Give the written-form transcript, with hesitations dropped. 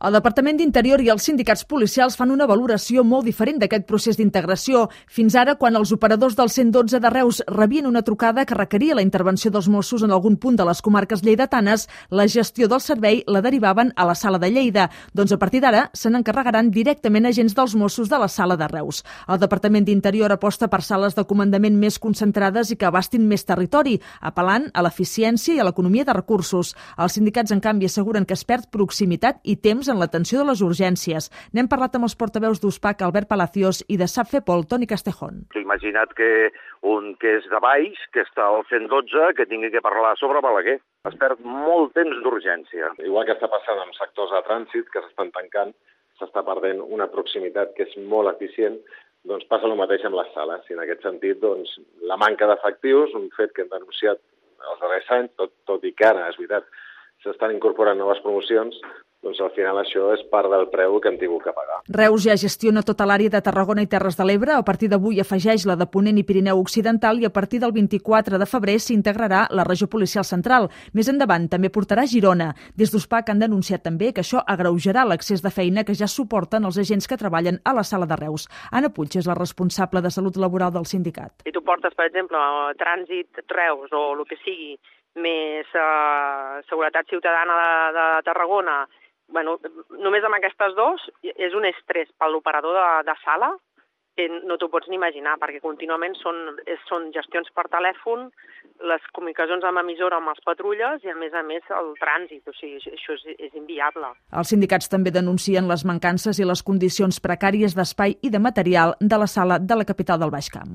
El Departament d'Interior i els sindicats policials fan una valoració molt diferent d'aquest procés d'integració. Fins ara, quan els operadors del 112 de Reus rebien una trucada que requeria la intervenció dels Mossos en algun punt de les comarques lleidatanes, la gestió del servei la derivaven a la Sala de Lleida. Doncs a partir d'ara se n'encarregaran directament agents dels Mossos de la Sala de Reus. El Departament d'Interior aposta per sales de comandament més concentrades i que abastin més territori, apel·lant a l'eficiència i a l'economia de recursos. Els sindicats, en canvi, asseguren que es perd proximitat i temps en l'atenció de les urgències. N'hem parlat amb els portaveus d'USPAC, Albert Palacios, i de SAPFEPOL, Toni Castejón. Imagina't que un que és de baix, que està al 112, que tingui que parlar sobre Balaguer. Es perd molt temps d'urgència. Igual que està passant amb sectors de trànsit que s'estan tancant, s'està perdent una proximitat que és molt eficient, doncs passa el mateix amb les sales. I en aquest sentit, doncs, la manca d'efectius, un fet que hem denunciat els darrers anys, tot i que ara, és veritat, s'estan incorporant noves promocions, doncs al final això és part del preu que hem tingut que pagar. Reus ja gestiona tota l'àrea de Tarragona i Terres de l'Ebre. A partir d'avui afegeix la de Ponent i Pirineu Occidental i a partir del 24 de febrer s'integrarà la regió policial central. Més endavant també portarà Girona. Des d'USPAC han denunciat també que això agreujarà l'accés de feina que ja suporten els agents que treballen a la Sala de Reus. Anna Puig és la responsable de salut laboral del sindicat. Si tu portes, per exemple, trànsit Reus o el que sigui, més seguretat ciutadana de Tarragona, només amb aquestes dos és un estrès per l'operador de sala que no t'ho pots ni imaginar, perquè contínuament són gestions per telèfon, les comunicacions amb emissora amb els patrulles i, a més el trànsit. O sigui, això és inviable. Els sindicats també denuncien les mancances i les condicions precàries d'espai i de material de la sala de la capital del Baix Camp.